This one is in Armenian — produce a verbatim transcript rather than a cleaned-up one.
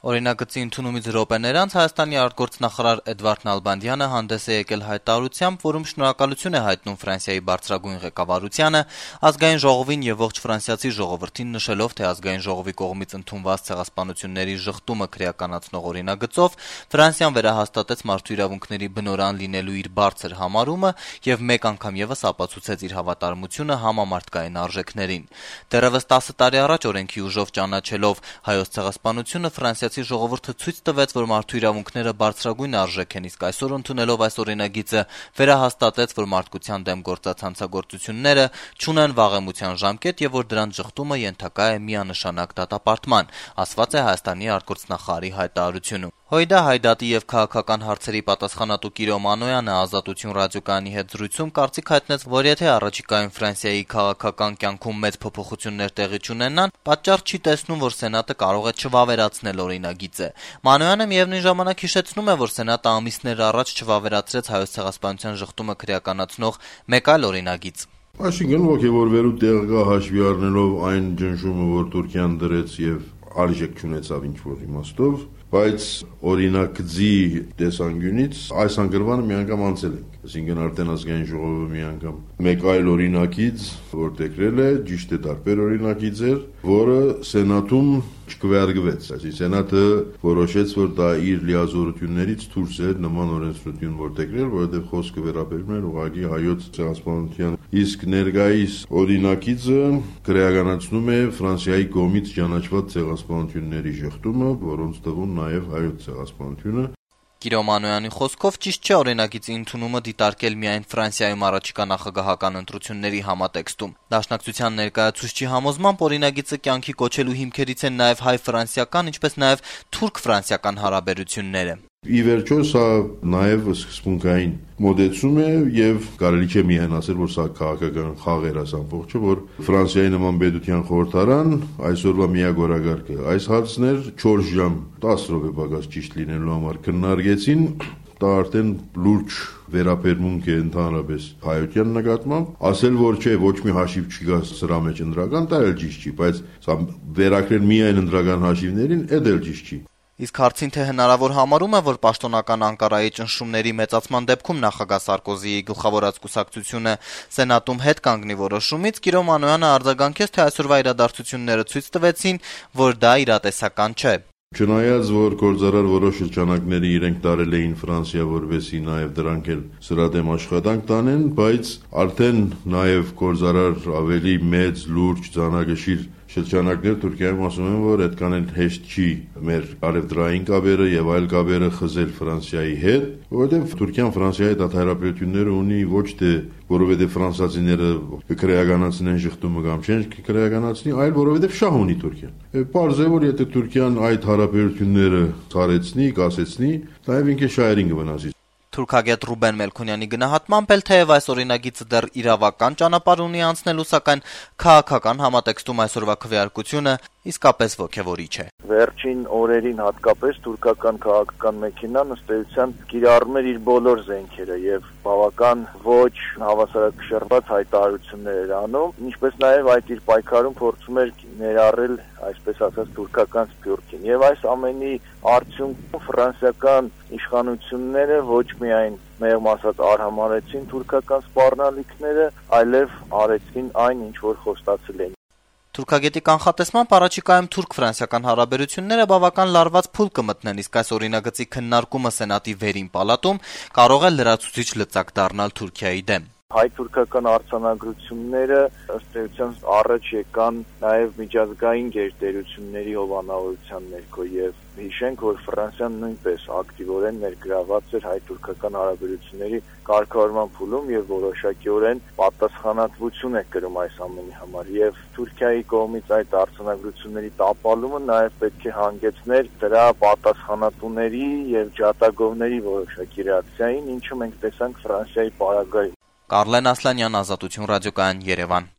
Օրինագծի ընդունումից րոպեներ անց Հայաստանի արտգործնախարար Էդվարդ Նալբանդյանը հանդես է եկել հայտարարությամբ, որում շնորհակալություն է հայտնում Ֆրանսիայի բարձրագույն ղեկավարությանը, ազգային ժողովին եւ ողջ ֆրանսիացի ժողովրդին, նշելով, թե ազգային ժողովի կողմից ընդունված ցեղասպանությունների ժխտումը քրեականացնող օրինագծով Ֆրանսիան վերահաստատեց մարդու իրավունքների բնօրրան լինելու իր բարձր համարումը եւ մեկ անգամ եւս ապացուցեց իր հավատարմությունը համամարտկային արժեքներին։ Դեռևս տասը տարի առաջ օրենքի ուժով ճանաչելով հայոց ցեղասպանությունը Ֆրանսիա ժողովուրդը ցույց տվեց, որ մարդու իրավունքները բարձրագույն արժեք են, իսկ այսօր ընդունելով այս օրինագիծը վերահաստատեց, որ մարդկության դեմ գործած հանցագործությունները չունեն վաղեմության ժամկետ եւ որ դրանց ժխտումը ենթակա է միանշանակ դատապարտման, ասված է Հայաստանի արտգործնախարարի հայտարարությունում։ Հույդա Հայդատի եւ քաղաքական հարցերի պատասխանատու Կիրո Մանոյանը Ազատություն ռադիոկայանի հետ զրույցում կարծիք հայտնեց, որ եթե առաջիկայում Ֆրանսիայի քաղաքական կյանքում մեծ փոփոխություններ տեղի չունենան, պատճառ չի տեսնում, որ Սենատը կարող է չվավերացնել օրինագիծը։ Մանոյանը միևնույն ժամանակ հիշեցնում է, որ Սենատը ամիսներ առաջ չվավերացրեց հայոց ցեղասպանության ժխտումը քրեականացնող մեկ այլ օրինագիծ։ Այսինքն ոգևորվելու տեղ կա հաշվի առնելով այն ճնշումը, որ Թուրքիան դրեց եւ արժեք չունեցավ ինչ-որ իմաստով, բայց օրինագծի տեսանկյունից այս անգրվանը մի անգամ անցել ենք։ Այսինքն արդեն ազգային ժողովը մի անգամ մեկ այլ օրինագիծ որտեղրել է, ճիշտ է տարբեր օրինագիծ էր, որը Սենատում չկվեարկվեց։ Այսինքն Սենատը որոշեց, որ դա իր լիազորություններից դուրս է նման օրենսդրություն որտեղրել, որովհետև խոսքը վերաբերում էր ուղղակի հայոց ցեղասպանության։ Իսկ ներկայիս օրինագիծը քրեականացնում է Ֆրանսիայի կողմից ճանաչված ցեղասպանությունների ժխտումը, որոնց թվում նաև հայոց ցեղասպանությունը։ Կիրո Մանոյանի խոսքով ճիշտ չէ օրինագիծի ընդունումը դիտարկել միայն Ֆրանսիայում առաջիկա նախագահական ընտրությունների համատեքստում։ Դաշնակցության ներկայացուցչի համոզմամբ օրինագիծը կյանքի կոչելու հիմքերից են նաև հայ-ֆրանսիական, ինչպես նաև թուրք-ֆրանսիական հարաբերությունները։ Ի վերջո սա նաև սկզբունքային մոդեցում է եւ կարելի չէ միայն ասել, որ սա քաղաքական խաղ էր այս ամբողջը, որ Ֆրանսիայի նման պետության խորհրդարան այսօրվա միագորագարկը այս հարցն էր չորս ժամ տասը րոպե պակաս ճիշտ լինելու համար քննարկեցին, դա արդեն լուրջ վերաբերմունք է ընդհանրապես հայության նկատմամբ, ասել որ չէ, ոչ մի հաշիվ չկա սրա մեջ ընդրական, դա էլ ճիշտ չի, բայց սա վերակրել միայն ընդրական հաշիվներին, դա էլ ճիշտ չի։ Իսկ հարցին թե հնարավոր համարում է, որ պաշտոնական Անկարայի ճնշումների մեծացման դեպքում նախագահ Սարկոզիի գլխավորած կուսակցությունը Սենատում հետ կանգնի որոշումից, Կիրո Մանոյանը արձագանքեց, թե այսօրվա իրադարձությունները ցույց տվեցին, որ դա իրատեսական չէ։ Չնայած որ գործարար որոշ շրջանակների իրենք տարել էին Ֆրանսիա, որովհետեւ նաև դրանք էլ սրա դեմ աշխատանք տանեն, բայց արդեն նաև գործարար ավելի մեծ, լուրջ, ծանրագշիր շրջանակներ Թուրքիայում ասում են, որ այդքան էլ հեշտ չի մեր արևդրային կապերը եւ այլ կապերը խզել Ֆրանսիայի հետ, որովհետեւ Թուրքիան Ֆրանսիայի դատարապետությունները ունի ոչ թե որովհետեւ ֆրանսիացիները քրեականացնեն ժխտումը կամ չեն քրեականացնի, այլ որովհետեւ շահ ունի Թուրքիան։ Պարզ է, որ եթե Թուրքիան այդ հարաբերությունները ցարեցնի, կասեցնի, նաեւ ինքը շահերին կվնասի։ Թուրքագետ Ռուբեն Մելքոնյանի գնահատմամբ էլ թեև այս օրինագիծը դեռ իրավական ճանապարհ ունի անցնելու, սակայն քաղաքական համատեքստում այսօրվա քվեարկությունը իսկապես ոգևորիչ է։ Վերջին օրերին հատկապես թուրքական քաղաքական մեքենան ըստ էության կիրառում էր իր բոլոր զենքերը եւ բավական ոչ հավասարակշռված հայտարարություններ էր անում, ինչպես նաեւ այդ իր պայքարում փորձում էր ներառել, այսպես ասած, թուրքական սփյուռքին։ Եվ այս ամենի արդյունքում ֆրանսիական իշխանությունները ոչ միայն մեղմ ասած արհամարեցին թուրքական սպառնալիքները, այլև արեցին այն, ինչ որ խոստացել էին։ Թուրքագետի կանխատեսմամբ առաջիկայում թուրք-ֆրանսիական հարաբերությունները բավական լարված փուլ կմտնեն, իսկ այս օրինագծի քննարկումը Սենատի վերին պալատում կարող է լրացուցիչ լծակ դառնալ Թուրքիայի դեմ։ Հայ-թուրքական արձանագրությունները ըստ էության առաջ եկան նաև միջազգային գերտերությունների հովանավորության ներքո եւ հիշենք, որ Ֆրանսիան նույնպես ակտիվորեն ներգրաված էր հայ-թուրքական հարաբերությունների կարգավորման փուլում եւ որոշակիորեն պատասխանատվություն է կրում այս ամենի համար եւ Թուրքիայի կողմից այդ արձանագրությունների տապալումը նաև պետք է հանգեցներ դրա պատասխանատուների եւ ջատագովների որոշակի ռեակցիային, ինչը մենք տեսանք Ֆրանսիայի պարագայում։ Կարլեն Ասլանյան, Ազատություն ռադիոկայան, Երևան։